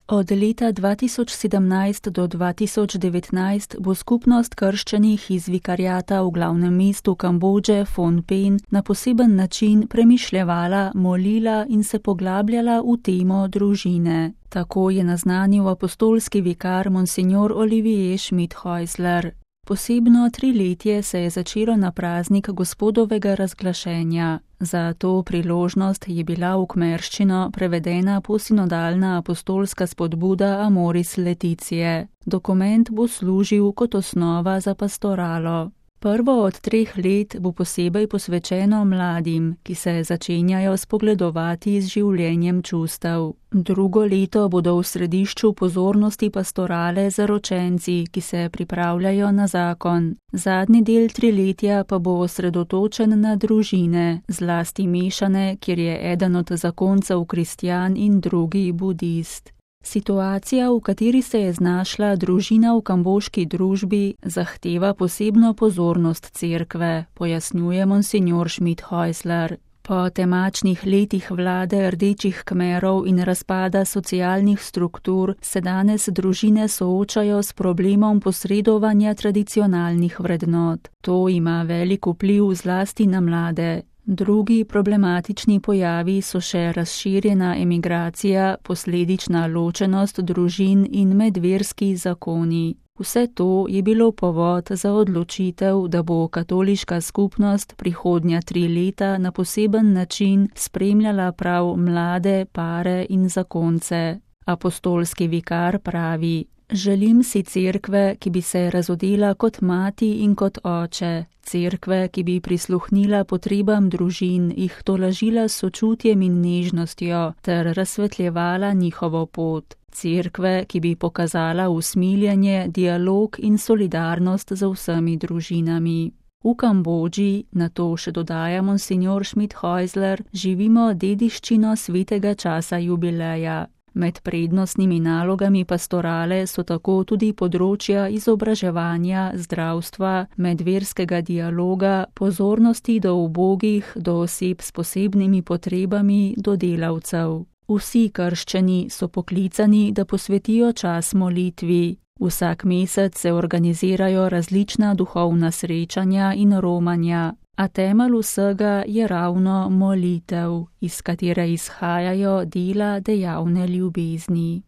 Od leta 2017 do 2019 bo skupnost krščanih iz vikariata v glavnem mestu Kambodže Phnom Penh na poseben način premišljevala, molila in se poglabljala v temo družine. Tako je naznanil apostolski vikar monsignor Olivier Schmidt-Häusler. Posebno triletje se je začelo na praznik Gospodovega razglašenja. Za to priložnost je bila v kmerščino prevedena posinodalna apostolska spodbuda Amoris Laetitia. Dokument bo služil kot osnova za pastoralo. Prvo od 3 let bo posebej posvečeno mladim, ki se začenjajo spogledovati z življenjem čustev. Drugo leto bodo v središču pozornosti pastorale zaročenci, ki se pripravljajo na zakon. Zadnji del triletja pa bo osredotočen na družine, zlasti mešane, kjer je eden od zakoncev kristjan in drugi budist. Situacija, v kateri se je znašla družina v kamboški družbi, zahteva posebno pozornost cerkve, pojasnjuje monsignor Schmidt-Häusler. Po temačnih letih vlade rdečih Kmerov in razpada socialnih struktur se danes družine soočajo s problemom posredovanja tradicionalnih vrednot. To ima velik vpliv zlasti na mlade. Drugi problematični pojavi so še razširjena emigracija, posledična ločenost družin in medverski zakoni. Vse to je bilo povod za odločitev, da bo katoliška skupnost prihodnja 3 leta na poseben način spremljala prav mlade pare in zakonce. Apostolski vikar pravi: Želim si cerkve, ki bi se razodela kot mati in kot oče, cerkve, ki bi prisluhnila potrebam družin, jih tolažila s sočutjem in nežnostjo ter razsvetljevala njihovo pot, cerkve, ki bi pokazala usmiljenje, dialog in solidarnost z vsemi družinami. V Kambodži, na to še dodaja monsignor Schmidt-Häusler, živimo dediščino svetega časa jubileja. Med prednostnimi nalogami pastorale so tako tudi področja izobraževanja, zdravstva, medverskega dialoga, pozornosti do ubogih, do oseb s posebnimi potrebami, do delavcev. Vsi krščani so poklicani, da posvetijo čas molitvi. Vsak mesec se organizirajo različna duhovna srečanja in romanja. A temelj vsega je ravno molitev, iz katere izhajajo dela dejavne ljubezni.